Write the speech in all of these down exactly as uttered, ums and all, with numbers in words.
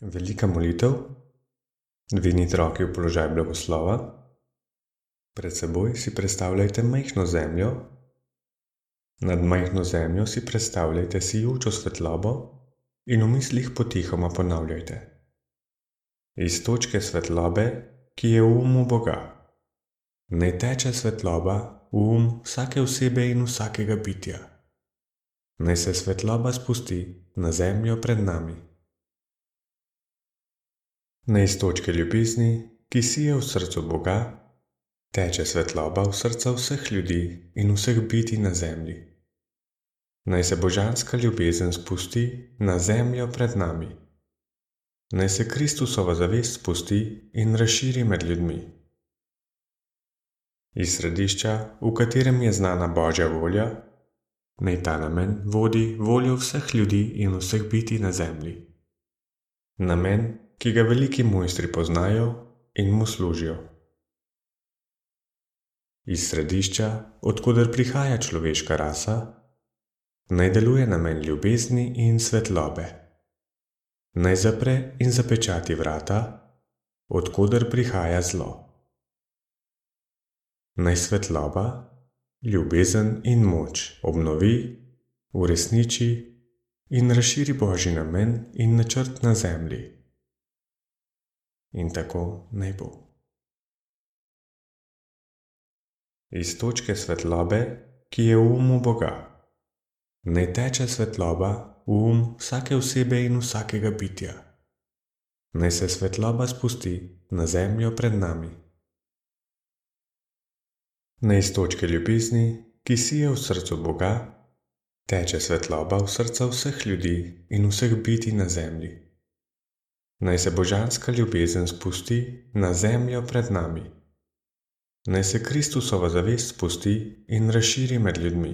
Velika molitev. Dvignite roke v položaj blagoslova. Pred seboj si predstavljajte majhno zemljo. Nad majhno zemljo si predstavljajte sijočo svetlobo in v mislih potihoma ponavljajte: iz točke svetlobe, ki je v umu Boga, naj teče svetloba v um vsake osebe in vsakega bitja. Naj se svetloba spusti na zemljo pred nami. Naj iz točke ljubezni, ki sije v srcu Boga, teče svetloba v srca vseh ljudi in vseh bitij na zemlji. Naj se božanska ljubezen spusti na zemljo pred nami. Naj se Kristusova zavest spusti in razširi med ljudmi. Iz središča, v katerem je znana Božja volja, naj ta namen vodi voljo vseh ljudi in vseh bitij na zemlji. Namen, ki ga veliki mojstri poznajo in mu služijo. Iz središča, od koder prihaja človeška rasa, naj deluje namen ljubezni in svetlobe. Naj zapre in zapečati vrata, od koder prihaja zlo. Naj svetloba, ljubezen in moč obnovi, uresniči in razširi Božji namen in načrt na zemlji. In tako naj bo. Iz točke svetlobe, ki je v umu Boga, naj teče svetloba v um vsake osebe in vsakega bitja. Naj se svetloba spusti na zemljo pred nami. Naj iz točke ljubezni, ki sije v srcu Boga, teče svetloba v srca vseh ljudi in vseh bitij na zemlji. Naj se božanska ljubezen spusti na zemljo pred nami. Naj se Kristusova zavest spusti in razširi med ljudmi.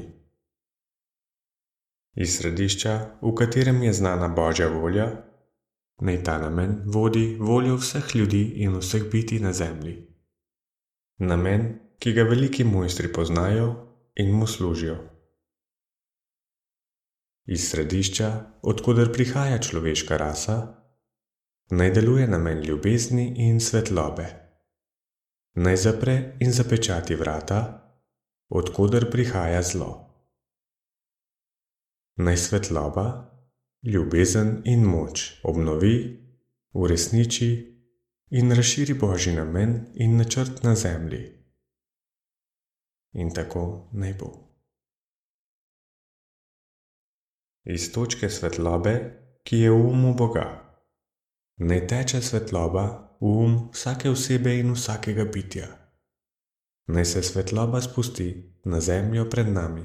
Iz središča, v katerem je znana Božja volja, naj ta namen vodi voljo vseh ljudi in vseh bitij na zemlji. Namen, ki ga veliki mojstri poznajo in mu služijo. Iz središča, od koder prihaja človeška rasa, naj deluje namen ljubezni in svetlobe. Naj zapre in zapečati vrata, od koder prihaja zlo. Naj svetloba, ljubezen in moč obnovi, uresniči in razširi Božji namen in načrt na zemlji. In tako naj bo. Iz točke svetlobe, ki je v umu Boga, naj teče svetloba v um vsake osebe in vsakega bitja. Naj se svetloba spusti na zemljo pred nami.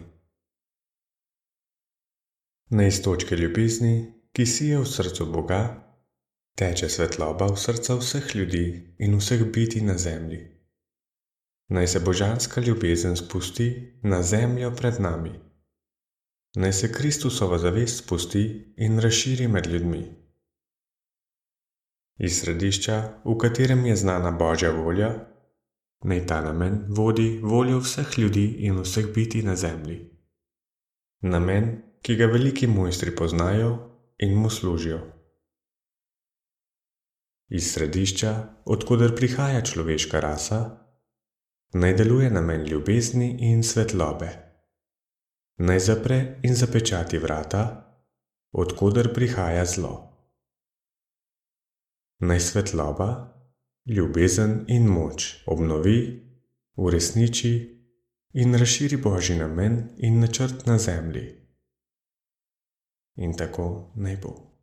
Naj iz točke ljubezni, ki sije v srcu Boga, teče svetloba v srca vseh ljudi in vseh bitij na zemlji. Naj se božanska ljubezen spusti na zemljo pred nami. Naj se Kristusova zavest spusti in razširi med ljudmi. Iz središča, v katerem je znana Božja volja, naj ta namen vodi voljo vseh ljudi in vseh bitij na zemlji. Namen, ki ga veliki mojstri poznajo in mu služijo. Iz središča, od koder prihaja človeška rasa, naj deluje namen ljubezni in svetlobe. Naj zapre in zapečati vrata, od koder prihaja zlo. Naj svetloba, ljubezen in moč obnovi, uresniči in razširi Božji namen in načrt na zemlji. In tako naj bo.